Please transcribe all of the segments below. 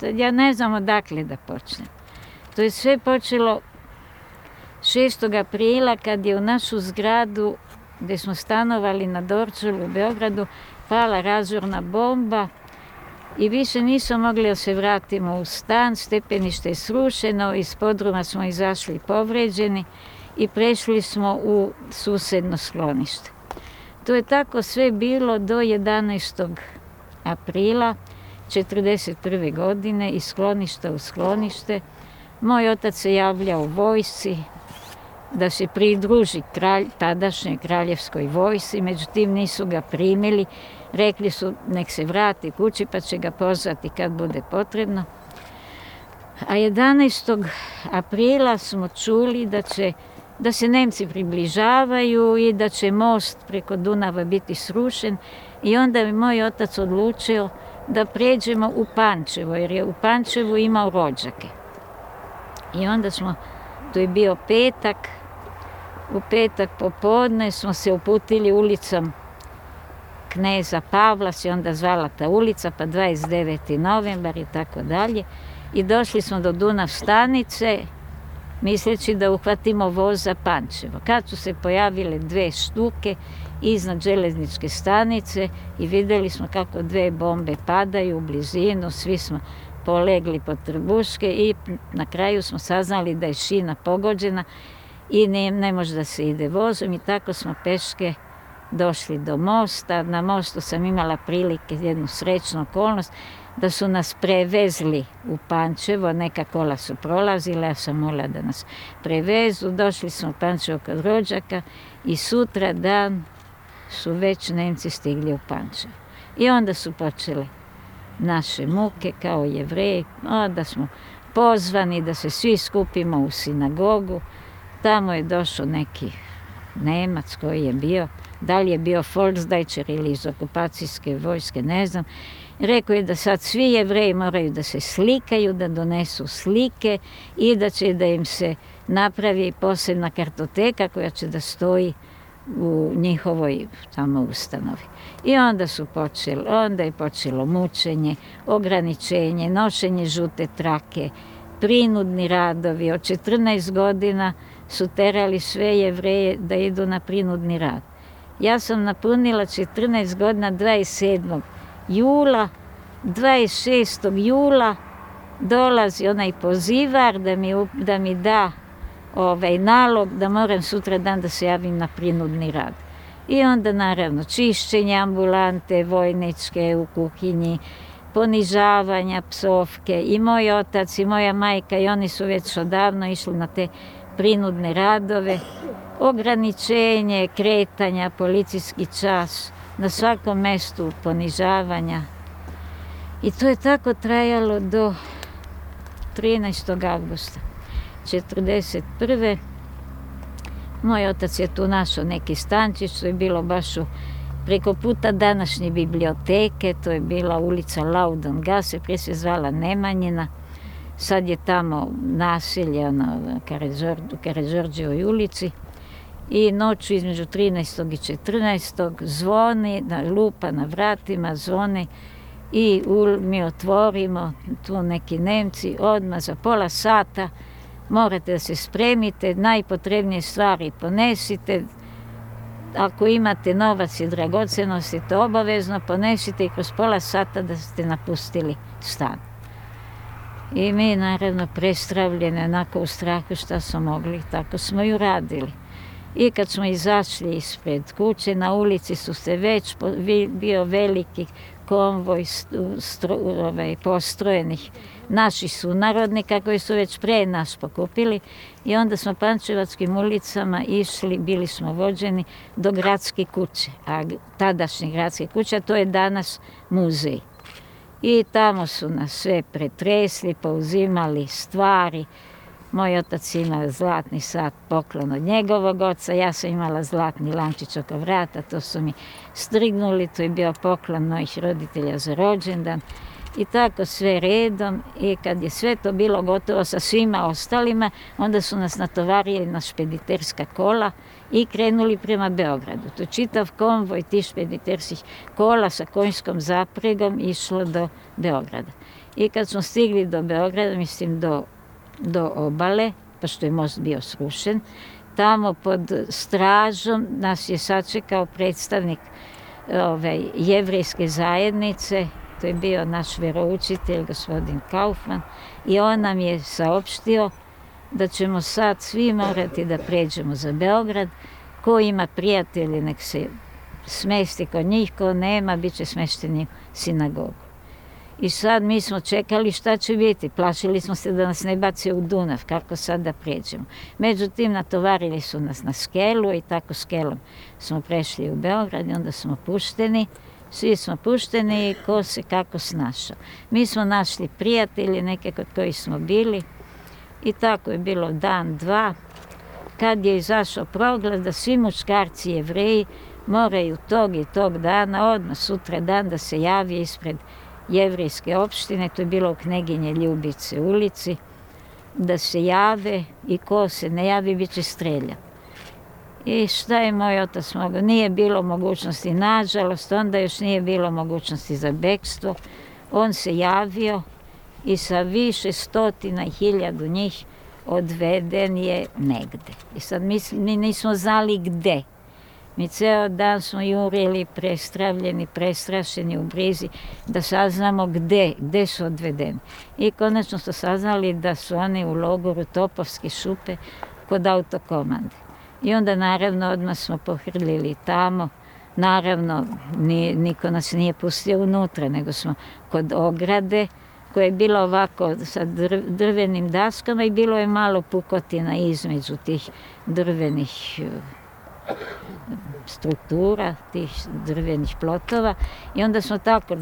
Ja ne znam odakle da počnem. To je sve počelo 6. aprila kad je u našu zgradu gdje smo stanovali na Dorćolu u Beogradu pala razorna bomba i više nismo mogli da se vratimo u stan, stepenište je srušeno, iz podruma smo izašli povređeni i prešli smo u susedno sklonište. To je tako sve bilo do 11. aprila 1941. godine iz skloništa u sklonište. Moj otac se javljao u vojsci da se pridruži tadašnjoj kraljevskoj vojsci, međutim nisu ga primili. Rekli su nek se vrati kući pa će ga pozvati kad bude potrebno. A 11. aprila smo čuli da se Nemci približavaju i da će most preko Dunava biti srušen i onda je moj otac odlučio da pređemo u Pančevo, jer je u Pančevu imao rođake. I onda to je bio petak, u petak popodne smo se uputili ulicom Kneza Pavla, se onda zvala ta ulica, pa 29. novembar i tako dalje. I došli smo do Dunav stanice, misleći da uhvatimo voz za Pančevo. Kad su se pojavile 2 štuke iznad železničke stanice i vidjeli smo kako 2 bombe padaju u blizinu, svi smo polegli pod trbuške i na kraju smo saznali da je šina pogođena i ne može da se ide vozom i tako smo peške došli do mosta. Na mostu sam imala prilike, jednu srećnu okolnost, da su nas prevezli u Pančevo, neka kola su prolazila, ja sam molila da nas prevezu, došli smo u Pančevo kod rođaka i sutra dan su već Nemci stigli u Pančevo. I onda su počele naše muke kao Jevreji, da smo pozvani da se svi skupimo u sinagogu. Tamo je došao neki Nemac koji je bio, da li je bio Volksdeutscher ili iz okupacijske vojske, ne znam. Rekao je da sad svi Jevreji moraju da se slikaju, da donesu slike i da im se napravi posebna kartoteka koja će da stoji u njihovoj tamo ustanovi. I onda je počelo mučenje, ograničenje, nošenje žute trake, prinudni radovi. Od 14 godina su terali sve Jevreje da idu na prinudni rad. Ja sam napunila 14 godina 27. jula, 26. jula dolazi onaj pozivar da mi da nalog da moram sutra dan da se javim na prinudni rad. I onda naravno čišćenje ambulante vojničke u kuhinji, ponižavanja, psovke. I moj otac i moja majka i oni su već odavno išli na te prinudne radove. Ograničenje, kretanja, policijski čas, na svakom mestu ponižavanja. I to je tako trajalo do 13. avgusta 1941. Moj otac je tu našao neki stančić, to je bilo baš preko puta današnje biblioteke, to je bila ulica Laudongasse, prije se zvala Nemanjina. Sad je tamo naselje u Karađorđevoj ulici. I noću između 13. i 14. zvoni, lupa na vratima, zvoni i mi otvorimo, tu neki Nemci, odmah za pola sata morate da se spremite, najpotrebnije stvari ponesite, ako imate novac i dragocenosti, to obavezno ponesite i kroz pola sata da ste napustili stan. I mi naravno prestravljene, onako u strahu šta smo mogli, tako smo i uradili. I kad smo izašli ispred kuće, na ulici su se već bio veliki konvoj postrojenih naših sunarodnika koji su već pre nas pokupili i onda smo pančevačkim ulicama išli, bili smo vođeni do gradske kuće, a tadašnje gradske kuće, to je danas muzej. I tamo su nas sve pretresli, pouzimali stvari. Moj otac ima zlatni sat, poklon od njegovog oca, ja sam imala zlatni lančić oko vrata, to su mi strignuli, to je bio poklon mojih roditelja za rođendan. I tako sve redom i kad je sve to bilo gotovo sa svima ostalima, onda su nas natovarili na špediterska kola i krenuli prema Beogradu. To je čitav konvoj tih špediterskih kola sa konjskom zapregom išlo do Beograda. I kad smo stigli do Beograda, mislim do obale, pošto je most bio srušen, tamo pod stražom nas je sačekao predstavnik jevrejske zajednice, to je bio naš veroučitelj, gospodin Kaufman, i on nam je saopštio da ćemo sad svi morati da pređemo za Beograd. Ko ima prijatelji, nek se smesti kod njih, ko nema, bit će smešteni u sinagogu. I sad mi smo čekali šta će biti. Plašili smo se da nas ne bace u Dunav, kako sad da pređemo. Međutim, natovarili su nas na skelu i tako skelom smo prešli u Beograd i onda smo pušteni. Svi smo pušteni i ko se kako snašao. Mi smo našli prijatelji, neke kod kojih smo bili i tako je bilo dan, dva. Kad je izašao proglas da svi muškarci Jevreji moraju tog i tog dana, odmah sutra dan, da se javi ispred jevrejske opštine, to je bilo u Kneginje Ljubice ulici, da se jave i ko se ne javi bit će streljan. I šta je moj otac mogao? Nije bilo mogućnosti, nažalost, onda još nije bilo mogućnosti za bekstvo. On se javio i sa više stotina i hiljadu njih odveden je negde. I sad mi nismo znali gde. Mi ceo dan smo jurili, prestravljeni, prestrašeni u brizi, da saznamo gde su odvedeni. I konačno smo saznali da su oni u logoru Topovske šupe kod autokomande. I onda naravno odmah smo pohrlili tamo. Naravno, niko nas nije pustio unutra, nego smo kod ograde, koja je bila ovako sa drvenim daskama i bilo je malo pukotina između tih drvenih struktura, tih drvenih plotova. I onda smo tako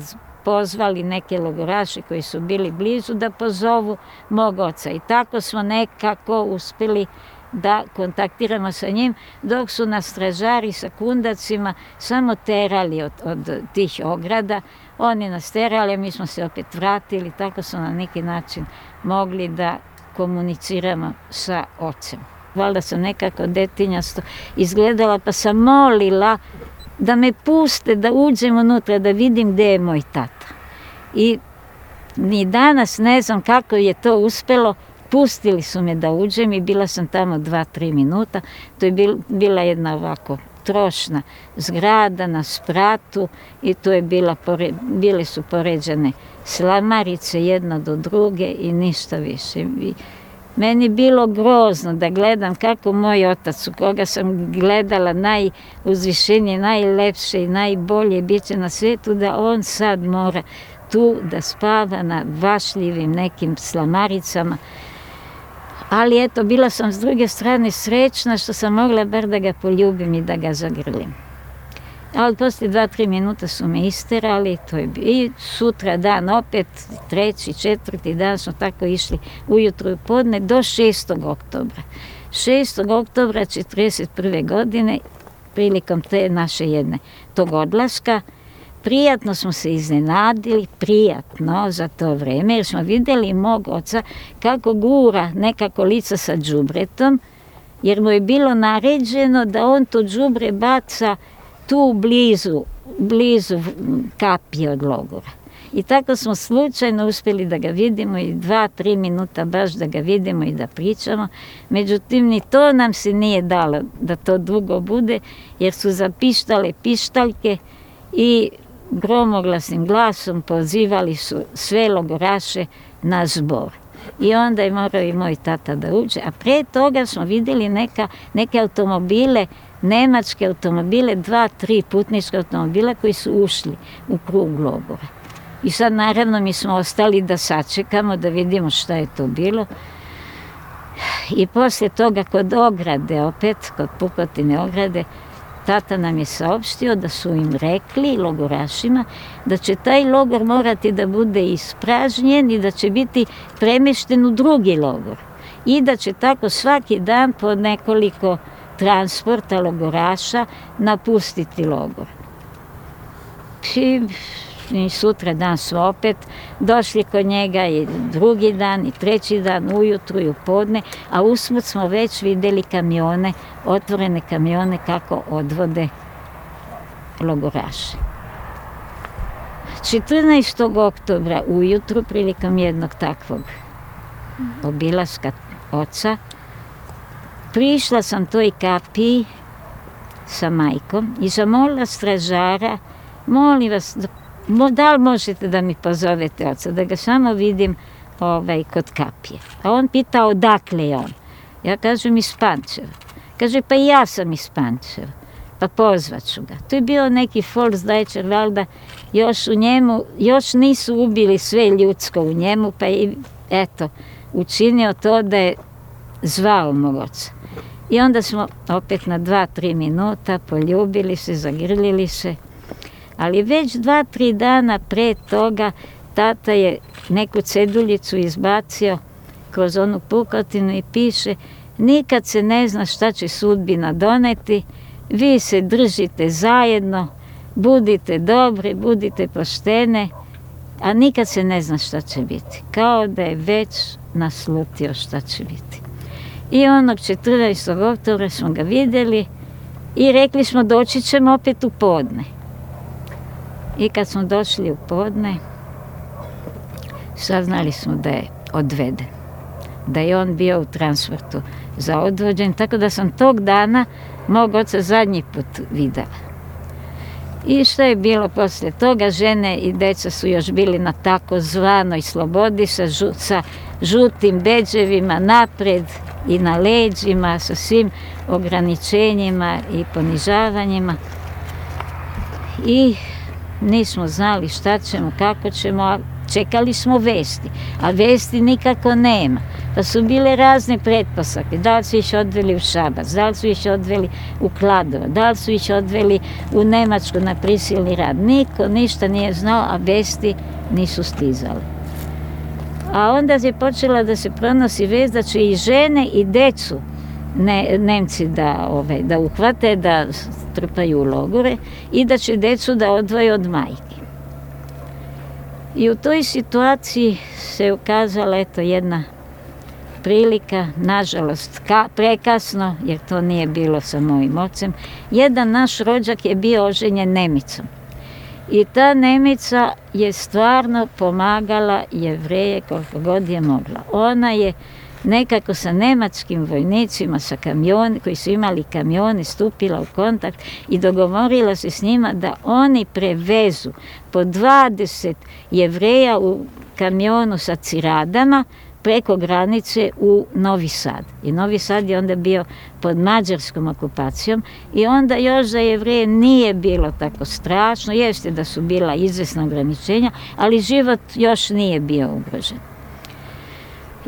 pozvali neke logoraše koji su bili blizu da pozovu mog oca. I tako smo nekako uspeli da kontaktiramo sa njim, dok su nas stražari sa kundacima samo terali od tih ograda. Oni nas terali, a mi smo se opet vratili, tako smo na neki način mogli da komuniciramo sa ocem. Valjda sam nekako detinjasto izgledala, pa sam molila da me puste, da uđem unutra, da vidim gde je moj tata. I ni danas ne znam kako je to uspelo. Pustili su me da uđem i bila sam tamo 2-3 minuta. To je bila jedna ovako trošna zgrada na spratu i tu je bile su poređane slamarice jedna do druge i ništa više. Meni bilo grozno da gledam kako moj otac, u koga sam gledala najuzvišenije, najlepše i najbolje biće na svijetu, da on sad mora tu da spava na vašljivim nekim slamaricama. Ali eto, bila sam s druge strane srećna što sam mogla bar da ga poljubim i da ga zagrlim. Ali poslije 2-3 minuta su me isterali, to je i sutra dan opet, 3., 4. dan smo tako išli ujutru i podne do 6. oktobra. 6. oktobra 1941. godine, prilikom te naše tog odlaska, prijatno smo se iznenadili, prijatno za to vreme, jer smo vidjeli mog oca kako gura nekako lica sa đubretom, jer mu je bilo naređeno da on to đubre baca tu blizu kapije od logora. I tako smo slučajno uspjeli da ga vidimo i 2-3 minuta baš da ga vidimo i da pričamo. Međutim, ni to nam se nije dalo da to dugo bude, jer su zapištale pištaljke i gromoglasnim glasom pozivali su sve logoraše na zbor. I onda je morao i moj tata da uđe. A pre toga smo vidjeli neke automobile, nemačke automobile, 2-3 putničke automobila koji su ušli u krug logora. I sad naravno mi smo ostali da sačekamo, da vidimo šta je to bilo. I poslije toga kod ograde, opet kod pukotine ograde, tata nam je saopštio da su im rekli, logorašima, da će taj logor morati da bude ispražnjen i da će biti premješten u drugi logor. I da će tako svaki dan po nekoliko transporta logoraša napustiti logor. I sutra dan smo opet došli kod njega i drugi dan i treći dan ujutru i u podne, a usput smo već vidjeli kamione, otvorene kamione kako odvode logoraše. 14. oktobra ujutru, prilikom jednog takvog obilaska oca, prišla sam toj kapiji sa majkom i zamolila stražara, molim vas, da li možete da mi pozovete oca, da ga samo vidim kod kapije. A on pitao odakle je on. Ja kažem iz Pančeva. Kaže, pa i ja sam iz Pančeva, pa pozvaću ga. To je bio neki Volksdeutscher, valjda, još nisu ubili sve ljudsko u njemu, pa je, eto, učinio to da je zvao mog oca. I onda smo opet na 2-3 minuta poljubili se, zagrlili se, ali već 2-3 dana pre toga tata je neku ceduljicu izbacio kroz onu pukotinu i piše: nikad se ne zna šta će sudbina doneti, vi se držite zajedno, budite dobre, budite poštene, a nikad se ne zna šta će biti. Kao da je već naslutio šta će biti. I onog 14. oktobra smo ga vidjeli i rekli smo doći ćemo opet u podne. I kad smo došli u podne, saznali smo da je odveden, da je on bio u transportu za odvođen, tako da sam tog dana mog oca zadnji put videla. I što je bilo poslije toga, žene i deca su još bili na takozvanoj slobodi sa žutim bedževima napred i na leđima, sa svim ograničenjima i ponižavanjima. I nismo znali šta ćemo, kako ćemo, a čekali smo vesti, a vesti nikako nema. Pa su bile razne pretpostavke, da li su ih odveli u Šabac, da li su ih odveli u Kladovo, da li su ih odveli u Nemačku na prisilni rad. Niko ništa nije znao, a vesti nisu stizale. A onda je počela da se pronosi vest da će i žene i decu Nemci da uhvate, da trpaju u logore i da će decu da odvoje od majke. I u toj situaciji se ukazala jedna prilika, nažalost prekasno, jer to nije bilo sa mojim ocem. Jedan naš rođak je bio oženjen Nemicom. I ta Nemica je stvarno pomagala Jevreje koliko god je mogla. Ona je nekako sa nemačkim vojnicima, sa kamioni, koji su imali kamione, stupila u kontakt i dogovorila se s njima da oni prevezu po 20 Jevreja u kamionu sa ciradama preko granice u Novi Sad. I Novi Sad je onda bio pod mađarskom okupacijom i onda još za Jevreje nije bilo tako strašno, jeste da su bila izvesna ograničenja, ali život još nije bio ugrožen.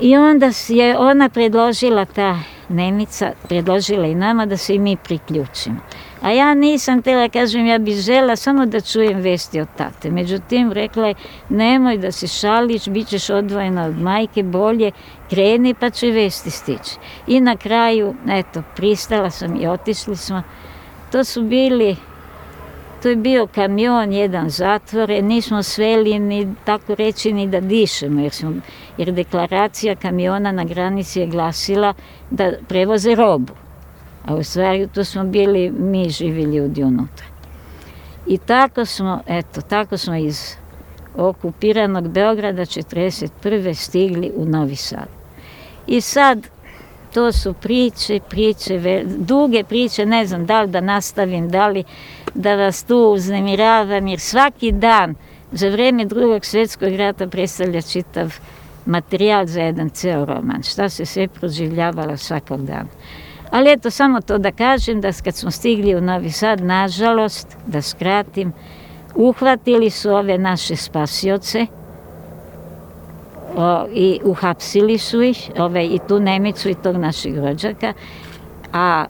I onda je ona predložila, ta Nemica, predložila i nama da se i mi priključimo. A ja nisam htjela, kažem, ja bih žela samo da čujem vesti od tate. Međutim, rekla je, nemoj da se šališ, bit ćeš odvojena od majke, bolje kreni pa će vesti stići. I na kraju, eto, pristala sam i otišli smo. To je bio kamion jedan zatvoren, nismo sveli ni tako reći ni da dišemo, jer deklaracija kamiona na granici je glasila da prevoze robu. A u stvari to smo bili mi živi ljudi unutra. I tako smo iz okupiranog Beograda 1941. stigli u Novi Sad. I sad, to su priče, duge priče, ne znam da li da nastavim, da li da vas tu uznemiravam, jer svaki dan za vreme Drugog svjetskog rata predstavlja čitav materijal za jedan ceo roman, šta se sve proživljavalo svakog dana. Ali eto, samo to da kažem, da kad smo stigli u Novi Sad, nažalost, da skratim, uhvatili su ove naše spasioce i uhapsili su ih, i tu Nemicu i tog našeg rođaka, a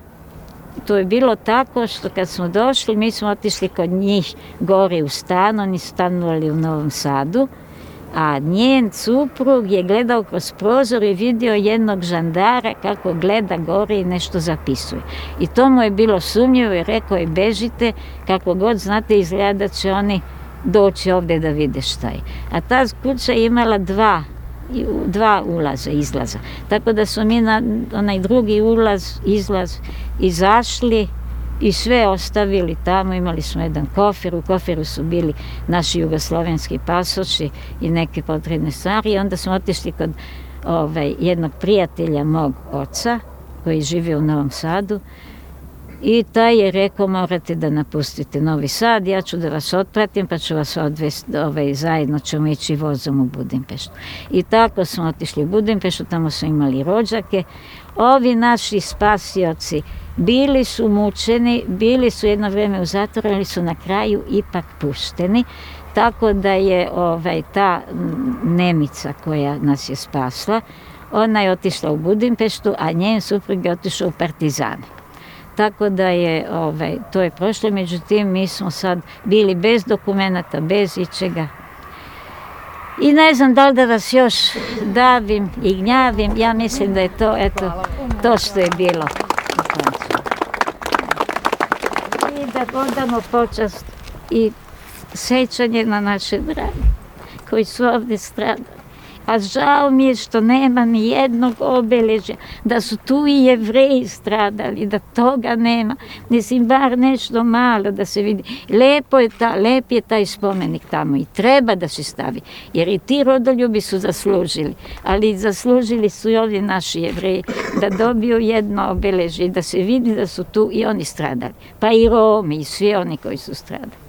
to je bilo tako što kad smo došli, mi smo otišli kod njih gore u stan, oni su stanovali u Novom Sadu, a njen suprug je gledao kroz prozor i vidio jednog žandara kako gleda gore i nešto zapisuje. I to mu je bilo sumnjivo i rekao je, bežite, kako god znate, izgleda da će oni doći ovdje da vide šta je. A ta kuća je imala dva ulaza, izlaza. Tako da su mi na onaj drugi ulaz, izlaz izašli i sve ostavili tamo. Imali smo jedan kofer, u koferu su bili naši jugoslovenski pasoši i neke potrebne stvari. I onda smo otišli kod jednog prijatelja mog oca koji živi u Novom Sadu i taj je rekao morate da napustite Novi Sad, ja ću da vas otpratim pa ću vas odvesti, zajedno ćemo ići vozom u Budimpeštu. I tako smo otišli u Budimpeštu, tamo smo imali rođake. Ovi naši spasioci bili su mučeni, bili su jedno vreme u zatvoru, ali su na kraju ipak pušteni. Tako da je ta Nemica koja nas je spasla, ona je otišla u Budimpeštu, a njen suprug je otišao u Partizane. Tako da je, to je prošlo, međutim mi smo sad bili bez dokumenata, bez ičega. I ne znam da li da vas još davim i gnjavim, ja mislim da je to, to što je bilo. I da odamo počast i sećanje na naše drage koji su ovdje stradali. A žao mi je što nema ni jednog obeležja, da su tu i Jevreji stradali, da toga nema. Mislim, bar nešto malo da se vidi. Lep je taj spomenik tamo i treba da se stavi, jer i ti rodoljubi su zaslužili, ali zaslužili su i ovi naši Jevreji da dobiju jedno obeležje, da se vidi da su tu i oni stradali. Pa i Romi i svi oni koji su stradali.